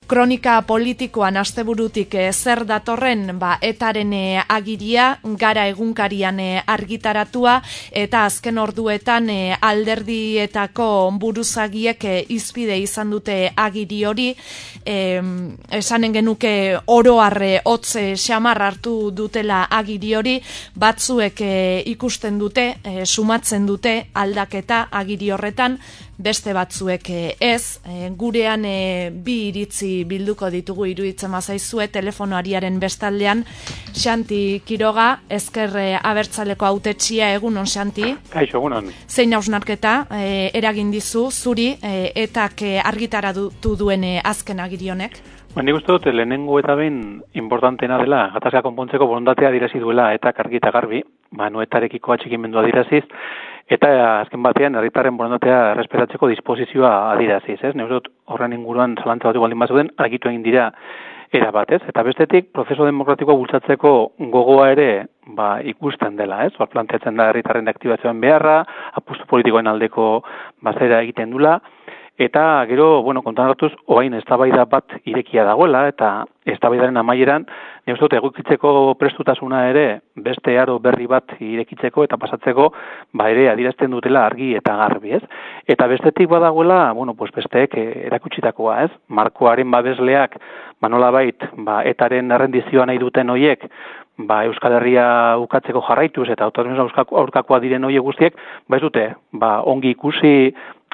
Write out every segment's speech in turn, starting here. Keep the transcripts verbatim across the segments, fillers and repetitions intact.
kronika politikoan asteburutik e, zer datorren ba, etaren e, agiria, gara egunkarian e, argitaratua, eta azken orduetan e, alderdietako buruzagiek e, izpide izan dute agiri hori, e, esanen genuke oroarre hotze xamar hartu dutela agiri hori, batzuek e, ikusten dute, e, sumatzen dute aldaketa agiri horretan, beste batzuek ez, e, gurean e, bi iritzi bilduko ditugu iruditzen bazaizue telefonoariaren bestaldean. Xanti Quiroga, ezker e, abertzaleko hautetsia, egunon Xanti? Kaixo, egunon. Zein hausnarketa e, eragin dizu zuri e, etak e, argitaratu duen e, azken agiri honek? Ba, nik uste dut lehenengo eta behin importantena dela, gatazka konpontzeko borondatea adirazi duela etak argi eta garbi, ba, noetarekiko atxikimendua adiraziz, eta azken batean herritarren borondatea errespetatzeko disposizioa adiraziz, ez? Nik uste dut horren inguruan zalantza batu baldin bazuden, argitu egin dira era batez, eta bestetik prozesu demokratikoa bultzatzeko gogoa ere ba, ikusten dela, ez? Hor planteatzen da herritarren aktibazioen beharra, apustu politikoen aldeko bazera egiten dula, eta gero, bueno, kontan hartuz, oain eztabaida bat irekia dagoela, eta eztabaidaren amaieran, nik uste dut egokitzeko prestutasuna ere beste aro berri bat irekitzeko eta pasatzeko, ba ere adierazten dutela argi eta garbi, ez? Eta bestetik badagoela, bueno, pues besteek erakutsitakoa, ez? Markoaren babesleak, ba nolabait, ba etaren errendizioa nahi duten hoiek, ba Euskal Herria ukatzeko jarraituz eta autonomismo aurkakoa diren hoiek guztiek, ba ez dute, ba ongi ikusi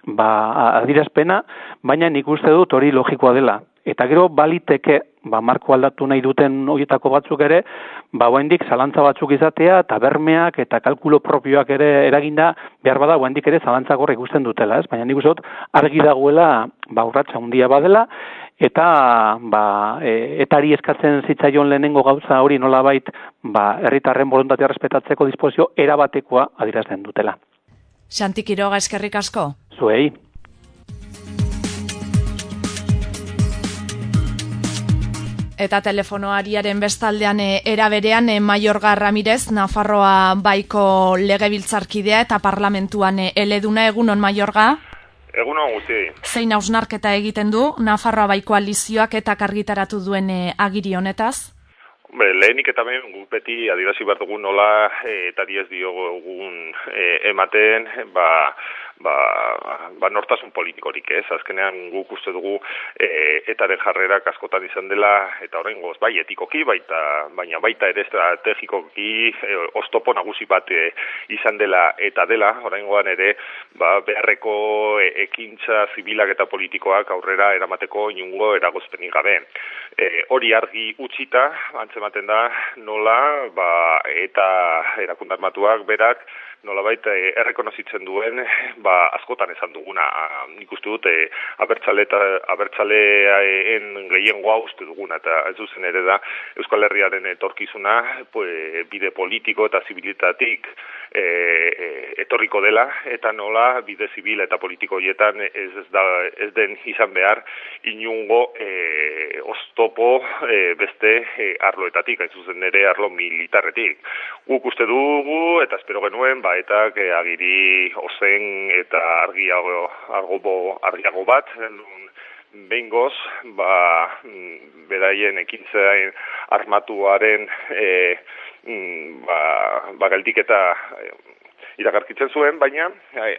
ba adierazpena, baina nik uste dut hori logikoa dela. Eta gero baliteke, ba marko aldatu nahi duten horietako batzuk ere, ba oraindik zalantza batzuk izatea eta bermeak eta kalkulo propioak ere eraginda behar bada oraindik ere zalantza gorra ikusten dutela, ez? Baina nik uste dut argi dagoela, ba urratsa handia badela eta ba e, etari eskatzen zitzaion lehenengo gauza hori nolabait, ba herritarren borondatea errespetatzeko disposizio erabatekoa adierazten dutela. Xanti Quiroga, eskerrik asko. Zuei. Eta telefonoariaren bestaldean e, eraberean e, Mayorga Ramirez, Nafarroa baiko legebiltzarkidea eta parlamentuan e, eleduna. Egunon Mayorga? Egunon guzti. Zein hausnarketa egiten du Nafarroa baiko alizioak eta argitaratu duen e, agiri honetaz? Be, lehenik eta behin guk beti adierazi behar dugun nola e, eta diez diogun e, ematen, ba, ba, ba nortasun politikorik, ez? Azkenean guk uste dugu e, etaren jarrerak askotan izan dela, eta horrengoz bai etikoki, baita, baina baita ere estrategikoki e, oztopo nagusi bat e, izan dela eta dela, horrengoan ere ba, beharreko e, ekintza zibilak eta politikoak aurrera eramateko inungo eragozpenik gabe. E, hori argi utzita, antzematen da nola ba, eta erakunde armatuak berak nolabait errekonozitzen duen, ba askotan esan duguna, nik uste dut e, abertzale eta abertzaleaen gehiengoa uste duguna, eta ez zuzen ere da Euskal Herriaren etorkizuna pues, bide politiko eta zibilitatik e, e, etorriko dela, eta nola bide zibil eta politiko hietan ez, ez, da, ez den izan behar inungo e, oztopo e, beste e, arloetatik, ez zuzen ere arlo militarretik. Guk uste dugu, eta espero genuen, ba, eta e, agiri ozen eta argiago, argo, argiago bat, behingoz, ba, beraien ekintzaen armatuaren e, ba, ba geldiketa e, iragarkitzen zuen, baina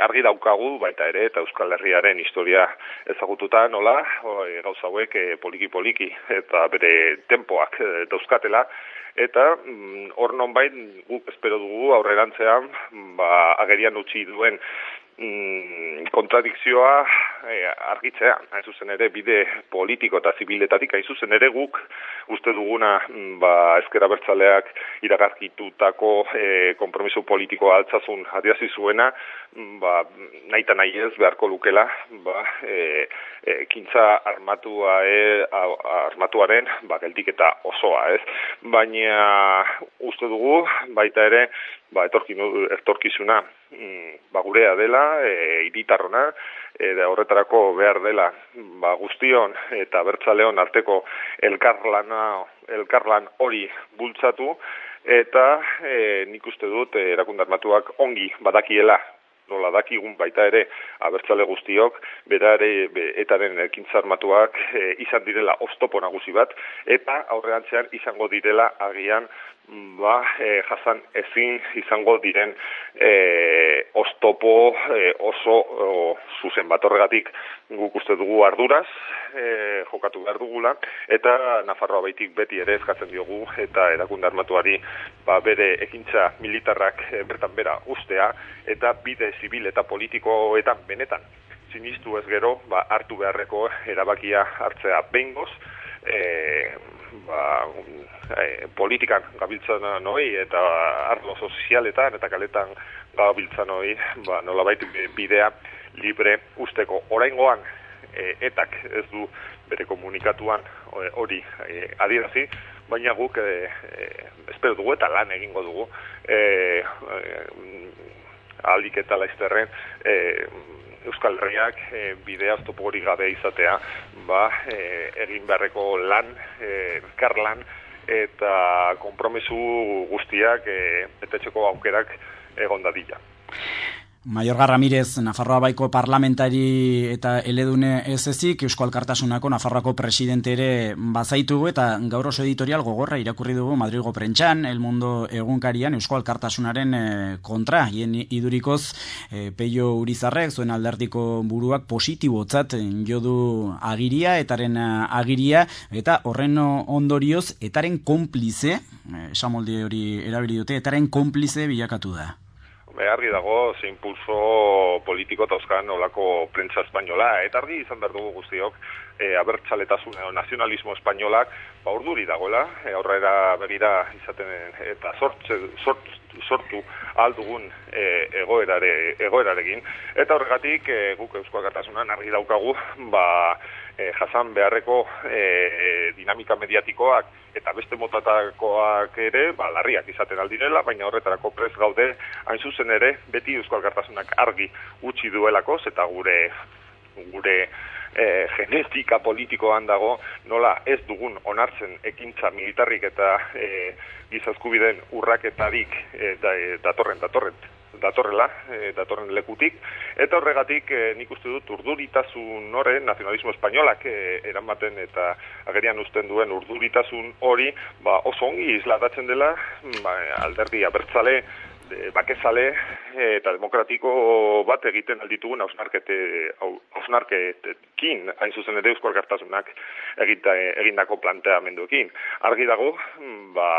argi daukagu baita ere eta Euskal Herriaren historia ezagututa nola, gauza hauek poliki-poliki eta bere tempoak dauzkatela, eta hor nonbait guk espero dugu aurrerantzean ba, agerian utzi duen mm, kontradikzioa e, argitzea, hain zuzen ere bide politiko eta zibiletatik, hain zuzen ere guk uste duguna ba, ezker abertzaleak iragarkitutako e, konpromiso politikoa altzazun adierazi zuena, ba, nahi eta nahi ez beharko lukela ba, e, e, kintza armatua, e, armatuaren ba, geldiketa osoa, ez? Baina uste dugu baita ere ba, etorkizuna ba, gurea dela, e, hiritarrona, e, horretarako behar dela ba, guztion eta abertzaleon arteko elkarlana, elkarlan hori bultzatu, eta e, nik uste dut e, erakunde armatuak ongi badakiela nola dakigun baita ere abertzale guztiok, bera ere etaren ekintza armatuak e, izan direla oztopo nagusi bat, eta aurrerantzean izango direla agian ba, e, jasan ezin izango diren e, oztopo e, oso o, zuzen bat. Horregatik guk uste dugu arduraz e, jokatu behar dugula, eta Nafarroa baitik beti ere eskatzen diogu eta erakunde armatuari ba, bere ekintza militarrak e, bertan bera ustea, eta bide zibil eta politikoetan benetan sinistu ez gero ba, hartu beharreko erabakia hartzea behingoz, e, ba, e, politikan gabiltzan noi eta arlo sozialetan eta kaletan gabiltzan noi ba, nolabait bidea libre usteko. Oraingoan e, etak ez du bere komunikatuan hori e, adierazi, baina guk e, e, espero dugu eta lan egingo dugu e, e, ahalik eta laizterren e, Euskal Herriak e, bidea oztopo hori gabe izatea, ba, e, egin beharreko lan, e, elkarlan eta konpromesu guztiak e, betetzeko aukerak egon dadila. Mayorga Ramirez, Nafarroa baiko parlamentari eta eledune ez ezik, Eusko Alkartasunako Nafarroako presidente ere bazaitugu, eta gaur oso editorial gogorra irakurri dugu Madrilgo Prentxan, El Mundo egunkarian Eusko Alkartasunaren kontra, hien idurikoz e, Peio Urizarrek, zuen alderdiko buruak positibotzat jo du agiria, etaren agiria, eta horren ondorioz, etaren konplize, esamolde hori erabili dute, etaren konplize bilakatu da. Argi dago, ze impulso politiko eta euskan olako prentsa espainola, eta argi izan behar dugu guztiok, e, abertzaletasun edo nazionalismo espainolak ba urduri dagoela, e, aurrera begira izaten eta sortze, sort, sortu aldugun e, egoerare, egoerarekin, eta horregatik e, guk Eusko Alkartasunan argi daukagu, ba, e, jasan beharreko e, dinamika mediatikoak eta beste motatakoak ere, ba, larriak izaten aldirela, baina horretarako prest gaude, hain zuzen ere, beti Eusko Alkartasunak argi utzi duelako, eta gure gure e, genetika politikoan dago, nola ez dugun onartzen ekintza militarrik eta e, gizaskubideen urraketarik e, da, e, datorren, datorren, datorrela, e, datorren lekutik, eta horregatik e, nik uste dut urduritasun horren nazionalismo espainolak e, eramaten eta agerian uzten duen urduritasun hori ba, oso ongi isladatzen dela ba, alderdi abertzale, de, bakezale eta demokratiko bat egiten alditugun hausnarkete, hausnarketekin, hain zuzen ere Eusko Alkartasunak egita, egindako planteamenduekin. Argi dago, ba,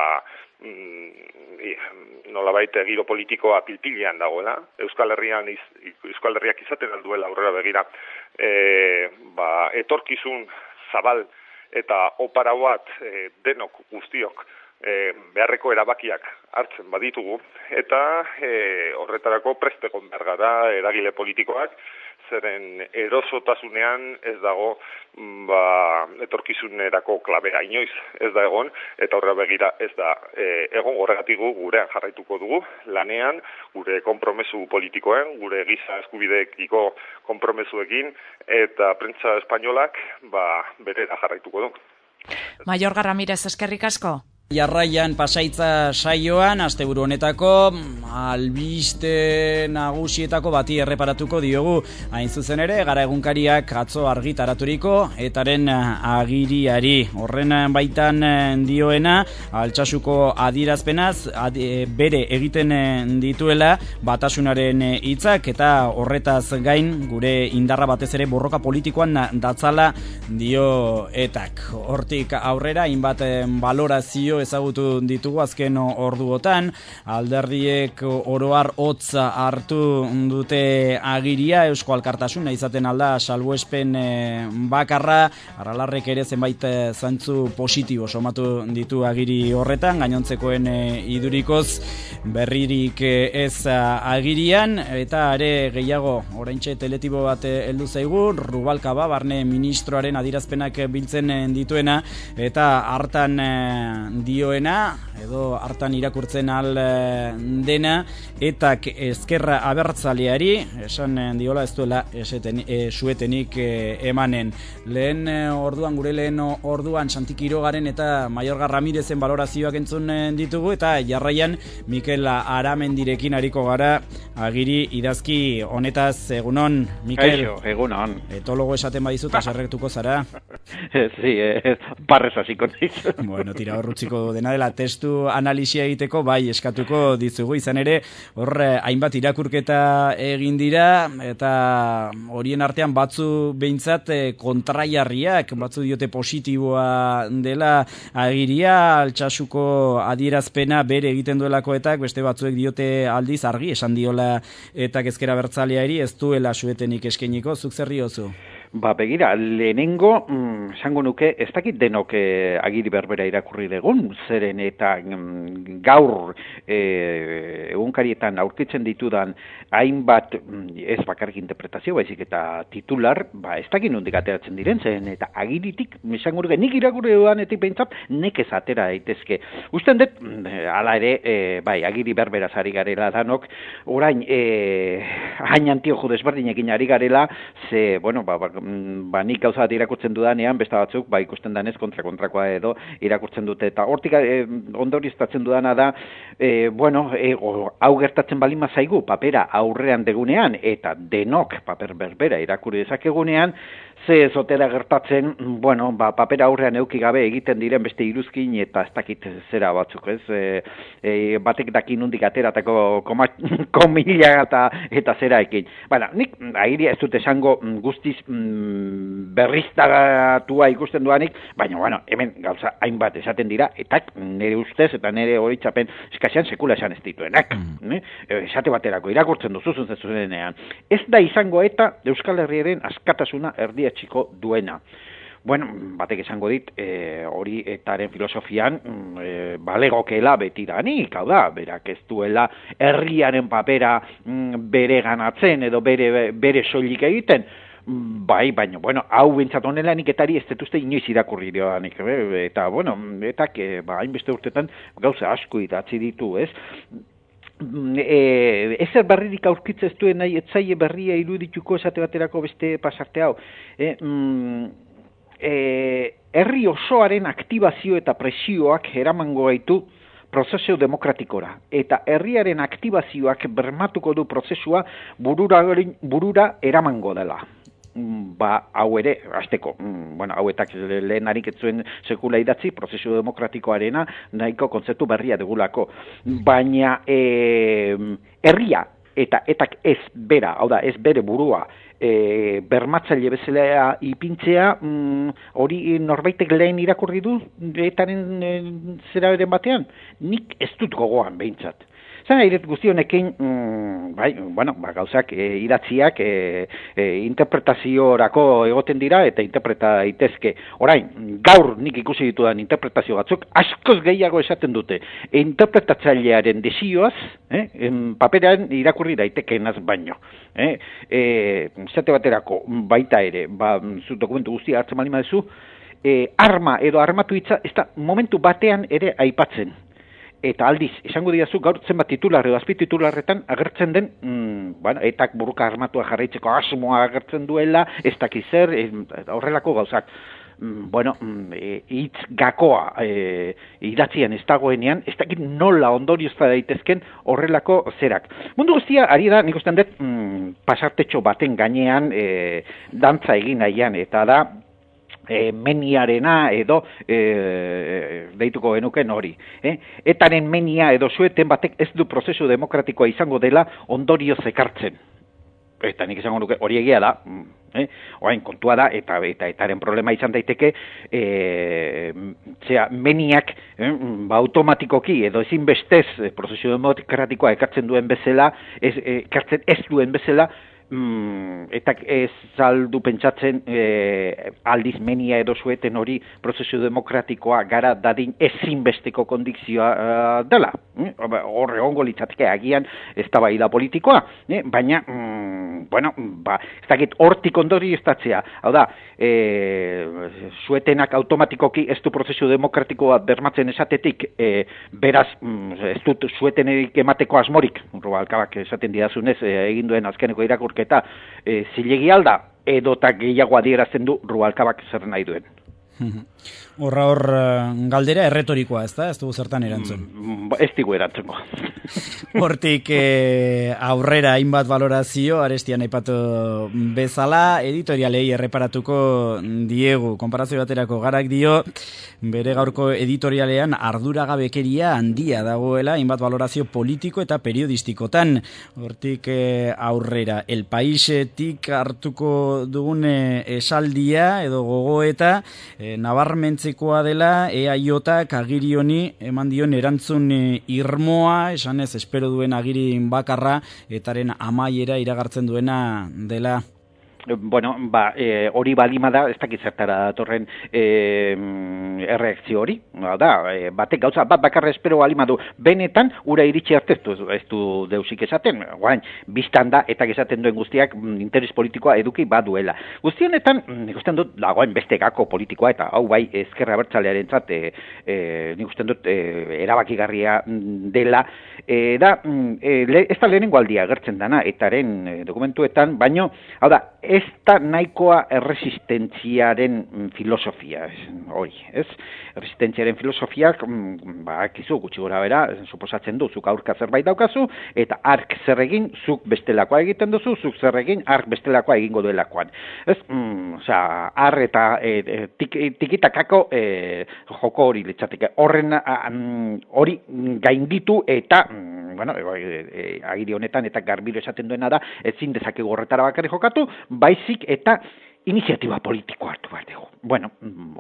nolabait giro politikoa pilpilean dagoela, Euskal Herrian iz, Euskal Herriak izaten alduela aurrera begira, e, ba, etorkizun zabal eta opara bat e, denok guztiok e, beharreko erabakiak hartzen baditugu, eta e, horretarako preste egon behar gara eragile politikoak, zeren erosotasunean ez dago ba, etorkizunerako klabea inoiz ez da egon, eta horra begira ez da e, egon horregatik gurean jarraituko dugu, lanean, gure konpromesu politikoen, gure giza eskubideekiko konpromesuekin, eta prentsa espainolak ba, berera jarraituko du. Mayorga Ramirez, eskerrik asko. Jarraian Pasaitza saioan, asteburu honetako albiste nagusietako bati erreparatuko diogu. Hain zuzen ere, Gara egunkariak atzo argitaraturiko etaren agiriari. Horren baitan dioena, Altsasuko adierazpenaz ad, bere egiten dituela batasunaren hitzak, eta horretaz gain gure indarra batez ere borroka politikoan datzala dio etak. Hortik aurrera, hainbat balorazio ezagutu ditugu azken orduotan, alderdiek oroar hotza hartu dute agiria, Eusko Alkartasuna izaten alda salbuespen bakarra, Aralarrek ere zenbait zantzu positibo somatu ditu agiri horretan, gainontzekoen idurikoz berririk ez agirian, eta are gehiago oraintxe teletibo bat heldu zaigu, Rubalcaba barne ministroaren adierazpenak biltzen dituena, eta hartan dioena, edo hartan irakurtzen al dena, etak ezkerra abertzaleari, esan diola ez duela eseten, e, suetenik e, emanen. Lehen orduan, gure lehen orduan, Santi Kirogaren eta Maiorga Ramirezen balorazioak entzun ditugu, eta jarraian Mikel Aramendirekin ariko gara, agiri idazki honetaz. Egunon, Mikel. Eixo, egunon. Etologo esaten badizut, aserretuko zara. Sí, eh, barrez hasiko naiz. Bueno, tira horrutziko dena dela, testu analisia egiteko, bai, eskatuko dizugu, izan ere, hor, hainbat irakurketa egin dira, eta horien artean batzu behintzat kontraiarriak, batzu diote positiboa dela agiria, Altsasuko adierazpena bere egiten duelakoetak, beste batzuek diote aldiz argi, esan diola eta ezkera bertzaleari ez duela suetenik eskeniko, zuk zer diozu? Ba, begira, lehenengo, mm, esango nuke, ez dakit denok eh, agiri berbera irakurri degun, zeren eta mm, gaur eh, egunkarietan aurkitzen ditudan hainbat, mm, ez bakarrik interpretazio, baizik eta titular, ba, ez dakit nondik ateratzen diren, zeren eta agiritik, esango nuke, nik irakurri dudanetik behintzat, nekez atera daitezke. Usten dut, hala ere, eh, bai, agiri berbera ari garela danok, orain, eh, hain antiojo desberdinekin ari garela, ze, bueno, ba, ba ba nik gauza bat irakurtzen dudanean, beste batzuk, ba ikusten danez kontra-kontrakoa edo irakurtzen dute, eta hortik e, ondorioztatzen dudana da, e, bueno, e, o, hau gertatzen balin mazaigu, papera aurrean degunean, eta denok paper berbera irakurri dezakegunean, ze zotera gertatzen, bueno, ba, papera aurrean euki gabe egiten diren beste iruzkin, eta ez dakit zera batzuk, ez, e, e, batek daki nundik ateratako komila eta, eta zera ekin. Baina, nik agiria ez dut esango guztiz berriztagatua ikusten duanik, baina, bueno, hemen gauza hainbat esaten dira, eta nire ustez eta nire horitzapen eskasean sekula esan ez dituenak. Mm. Esate baterako irakurtzen duzuzun zezuenean. Ez da izango eta Euskal Herriaren askatasuna erdietsiko duena. Bueno, batek esango dit, e, hori etaren filosofian e, balegokela betidanik, hau da, berak ez duela herriaren papera mm, bere ganatzen edo bere, bere soilik egiten, bai, baina, bueno, hau bentsat honela nik etari ez detuzte inoiz irakurri dioanik, eta, bueno, eta, ba, hainbeste urtetan gauza asko idatzi ditu, ez? E, ezer berririk aurkitzez duen nahi, etzaile berria irudituko esate baterako beste pasarte hau. E, mm, e, herri osoaren aktibazio eta presioak eramango gaitu prozesu demokratikora, eta herriaren aktibazioak bermatuko du prozesua burura, burura eramango dela. Ba, hau ere, azteko, bueno, hauetak lehenarik ez zuen sekula idatzi, prozesu demokratikoarena nahiko kontzeptu berria degulako. Baina, e, herria eta etak ez bera, hau da, ez bere burua, e, bermatzaile bezala ipintzea, hori mm, norbaitek lehen irakurri du, etaren e, zeraren batean, nik ez dut gogoan behintzat. Zena, iret guztionekin, mm, bai, bueno, ba, gauzak e, idatziak e, e, interpretaziorako egoten dira eta interpreta daitezke. Orain, gaur nik ikusi ditudan interpretazio batzuk, askoz gehiago esaten dute. E, interpretatzailearen desioaz, eh, en, paperean irakurri daitekeenaz baino. Eh, e, zate baterako, baita ere, ba, zu dokumentu guztia hartzen bali madezu, e, arma edo armatu hitza, ez da momentu batean ere aipatzen. Eta aldiz, esango diazu, gaur zenbat titular edo azpititularretan agertzen den, mm, bueno, etak buruka armatua jarraitzeko asmoa agertzen duela, ez dakiz zer, e, horrelako gauzak. Mm, bueno, mm, e, hitz gakoa e, idatzian ez dagoenean, ez dakit nola ondoriozta daitezken horrelako zerak. Mundu guztia, ari da, nik ustean dut, mm, pasartetxo baten gainean e, dantza egin nahian, eta da, E, meniarena edo e, deituko genuken hori. Eh? Etaren menia edo sueten batek ez du prozesu demokratikoa izango dela ondorioz ekartzen. Eta nik izango nuke hori egia da, eh? Orain kontua da, eta, eta etaren problema izan daiteke, e, zera, meniak eh, ba, automatikoki edo ezin bestez prozesu demokratikoa ekartzen duen bezala, ez, ekartzen ez duen bezala, mm, eta ez saldu pentsatzen e, aldiz menia edo zueten hori prozesu demokratikoa gara dadin ezinbesteko kondizioa uh, dela. Horre ongo litzateke agian ez da bai da politikoa, eh? Baina, mm, bueno, ba, ez dakit hortik ondori estatzea. Hau da, e, zuetenak automatikoki ez du prozesu demokratikoa bermatzen esatetik, e, beraz, mm, ez dut zuetenek emateko asmorik, Rubalcabak esaten didazunez, e, egin duen azkeneko irakurketa, e, zilegi alda, edota gehiago adierazten du Rubalcabak zer nahi duen. Horra hor galdera erretorikoa, ez da? Ez dugu zertan erantzun. Mm, ez digu erantzungo. Hortik eh, aurrera hainbat valorazio, Arestian aipatu bezala, editorialei erreparatuko diegu. Konparazio baterako Garak dio, bere gaurko editorialean arduragabekeria handia dagoela, hainbat valorazio politiko eta periodistikotan. Hortik eh, aurrera, El Paisetik hartuko dugune esaldia edo gogoeta, eh, nabarmentzekoa dela E A Jak agiri honi eman dion erantzun irmoa, esan ez espero duen agiri bakarra, etaren amaiera iragartzen duena dela. Bueno, ba, e, hori balima da, ez dakit zertara datorren e, erreakzio hori, da, e, batek gauza, bat bakarra espero balima du, benetan, ura iritsi arte ez du, ez du deusik esaten, guain, biztan da, eta esaten duen guztiak interes politikoa eduki baduela. Guztionetan, nik usten dut, dagoen beste gako politikoa, eta hau bai, ezkerra abertzalearen zat, e, e, nik usten dut, e, erabakigarria dela, e, da, e, le, ez da lehenengo aldia gertzen dana, etaren e, dokumentuetan, baino, hau da, ez da nahikoa erresistentziaren filosofia, hori, ez? Erresistentziaren filosofiak, ba, akizu, gutxi gora bera, suposatzen du, zuk aurka zerbait daukazu, eta ark zer egin, zuk bestelakoa egiten duzu, zuk zer egin, ark bestelakoa egingo duelakoan. Ez, mm, osea, ar eta e, tik, tikitakako e, joko hori litzateke, horren hori gainditu eta, mm, bueno, e, e, agiri honetan eta garbiro esaten duena da, ezin dezakegu horretara bakarri jokatu, baizik eta iniziatiba politikoa hartu behar dugu. Bueno,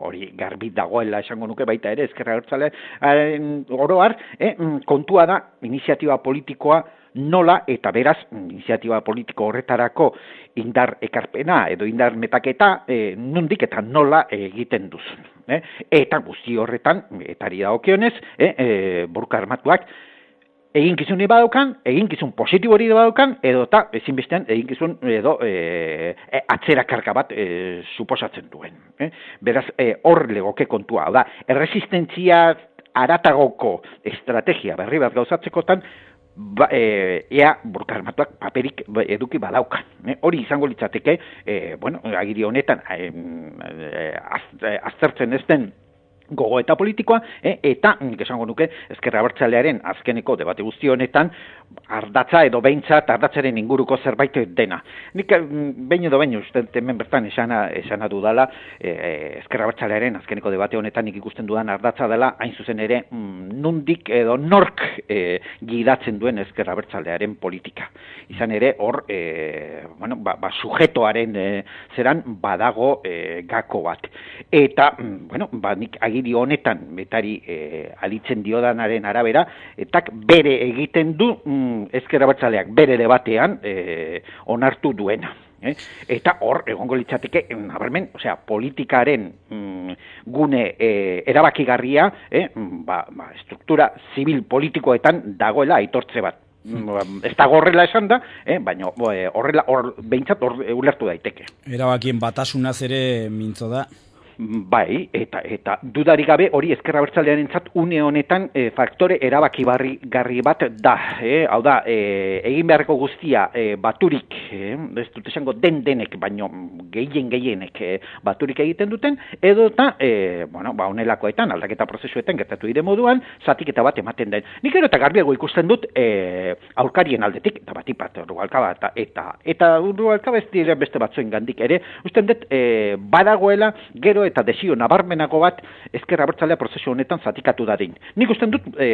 hori garbi dagoela esango nuke baita ere, ezkerra abertzalearen oroar, eh, kontua da iniziatiba politikoa nola eta beraz iniziatiba politiko horretarako indar ekarpena edo indar metaketa eh, nondik eta nola egiten duzun. Eh? Eta guzti horretan, etari dagokionez, eh, eh, borroka armatuak, eginkizun badaukan, eginkizun positibo hori badaukan, edo eta ezinbestean eginkizun edo e, e, atzerakarga bat e, suposatzen duen. Eh? Beraz, hor e, legoke kontua. Da, erresistentzia aratagoko estrategia berri bat gauzatzekotan, ba, e, ea borroka armatuak paperik eduki badaukan. Eh? Hori izango litzateke, e, bueno, agiri honetan, e, e, az, e, aztertzen ez den gogo eta politikoa, eh, eta, esango nuke, ezkerra abertzalearen azkeneko debate guzti honetan, ardatza edo behintzat ardatzaren inguruko zerbait dena. Nik behin edo behin uste hemen bertan esana, esana dudala, eh, ezkerra abertzalearen azkeneko debate honetan nik ikusten dudan ardatza dela, hain zuzen ere, mm, nundik edo nork eh, gidatzen duen ezkerra abertzalearen politika. Izan ere, hor, eh, bueno, ba, ba, sujetoaren eh, zeran badago eh, gako bat. Eta, mm, bueno, ba, nik agiri honetan, betari eh, alitzen diodanaren arabera, etak bere egiten du mm, ezker abertzaleak bere debatean eh, onartu duena. Eh? Eta hor, egongo litzateke, nabarmen, osea, politikaren mm, gune eh, erabakigarria, eh, ba, ba, struktura zibil politikoetan dagoela aitortze bat. Ez da horrela esan da, eh, baina horrela hor, behintzat hor ulertu daiteke. Erabakien batasunaz ere mintzo da. Bai, eta eta dudarik gabe hori ezkerra abertzalearentzat une honetan e, faktore erabakigarri garri bat da. Eh? Hau da, e, egin beharreko guztia e, baturik, eh? ez dut esango den denek, baino gehien gehienek e, baturik egiten duten, edo eta, e, bueno, ba, honelakoetan, aldaketa prozesuetan gertatu dire moduan, zatiketa bat ematen den. Nik ero eta garbiago ikusten dut e, aurkarien aldetik, eta batipat, Rubalcaba, eta eta, eta Rubalcaba ez dire beste batzuen gandik ere, usten dut e, badagoela gero eta desio nabarmenako bat ezker abertzalea prozesu honetan zatikatu dadin. Nik usten dut e,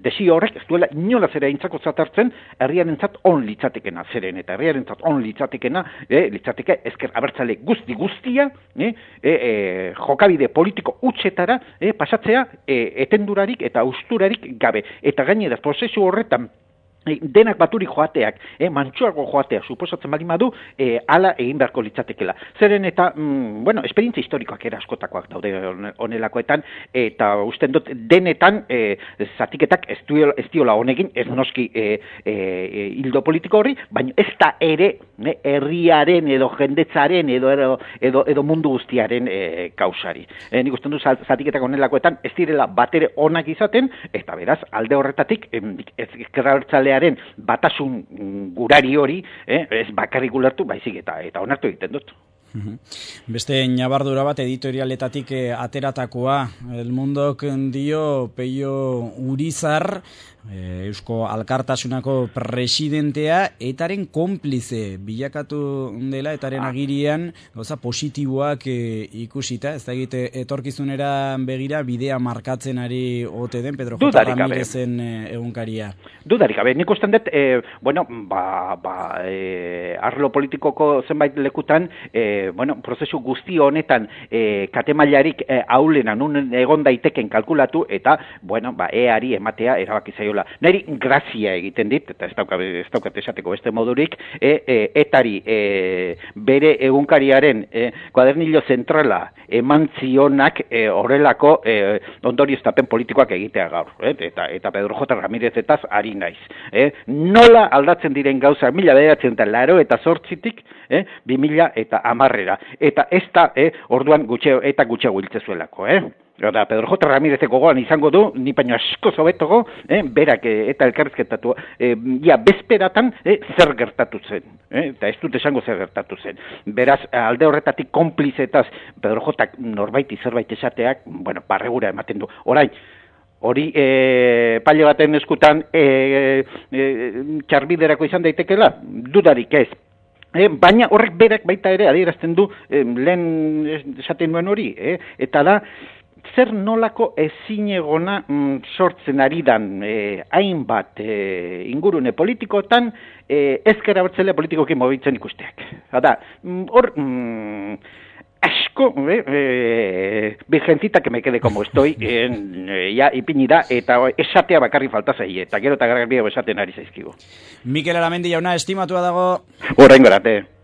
desio horrek ez duela inola zera intzako zatartzen herriarentzat on litzatekena zeren eta herriarentzat on litzatekena e, litzateke ezker abertzale guzti guztia e, e, e, jokabide politiko utxetara e, pasatzea e, etendurarik eta usturarik gabe. Eta gainera prozesu horretan denak baturi joateak, eh, mantxoago joateak, suposatzen bali madu, eh, ala egin beharko litzatekela. Zeren eta, mm, bueno, esperientzia historikoak era askotakoak daude honelakoetan, eta usten dut denetan eh, zatiketak ez, duela, ez diola honegin, ez noski eh, eh, hildo politiko horri, baina ez da ere eh, herriaren edo jendetzaren edo, edo, edo, edo mundu guztiaren eh, kausari. Eh, nik usten dut zatiketak honelakoetan ez direla batere onak izaten, eta beraz, alde horretatik, ez ezkerrabertzalea batasun gurari hori, eh, ez bakarrik ulertu, baizik eta eta onartu egiten dut. Beste ñabardura bat editorialetatik eh, ateratakoa, El Mundok dio Peio Urizar, eh, Eusko Alkartasunako presidentea, etaren konplize bilakatu dela, etaren ah. agirian gauza positiboak eh, ikusita, ez da egite etorkizunera begira bidea markatzen ari ote den Pedro J. Ramirezen eh, egunkaria. Dudarik gabe, nik usten dut, eh, bueno, ba, ba, eh, arlo politikoko zenbait lekutan, eh, bueno, prozesu guzti honetan eh, katemailarik eh, aulena nun egon daiteken kalkulatu eta, bueno, ba, eari ematea erabaki zaiola. Neri grazia egiten dit, eta ez daukat, ez daukat esateko beste modurik, e, e, etari e, bere egunkariaren e, kuadernillo zentrala eman zionak e, horrelako e, ondorioztapen politikoak egitea gaur. E, eta, eta Pedro J. Ramirezetaz ari naiz. E, nola aldatzen diren gauza mila bederatzen eta laro eta zortzitik, e, bi mila eta amarrera. Eta ez da, eh, orduan gutxeo, eta gutxeo hiltzezuelako, eh? Eta Pedro J. Ramirezeko goan izango du, ni baino asko zobetogo, eh, berak eh, eta elkarrizketatu, eh, ja, bezperatan eh, zer gertatu zen, eh, eta ez dut esango zer gertatu zen. Beraz, alde horretatik konplizetaz Pedro J. norbaiti zerbait esateak, bueno, barregura ematen du. Orain, hori e, paile baten eskutan e, e, txarbiderako izan daitekela, dudarik ez. E, baina horrek berak baita ere adierazten du e, lehen esaten nuen hori, e, eta da zer nolako ezinegona mm, sortzen ari dan e, hainbat e, ingurune politikotan e, ezker abertzale politikoki mobitzen ikusteak. Hada, hor mm, asko, eh, eh, virgencita que me quede como estoy, eh, ya ipini da, eta esatea bakarri falta zaie, eta gero eta garbiago esaten ari zaizkigu. Mikel Aramendi jauna, estimatua dago. Orain gorate.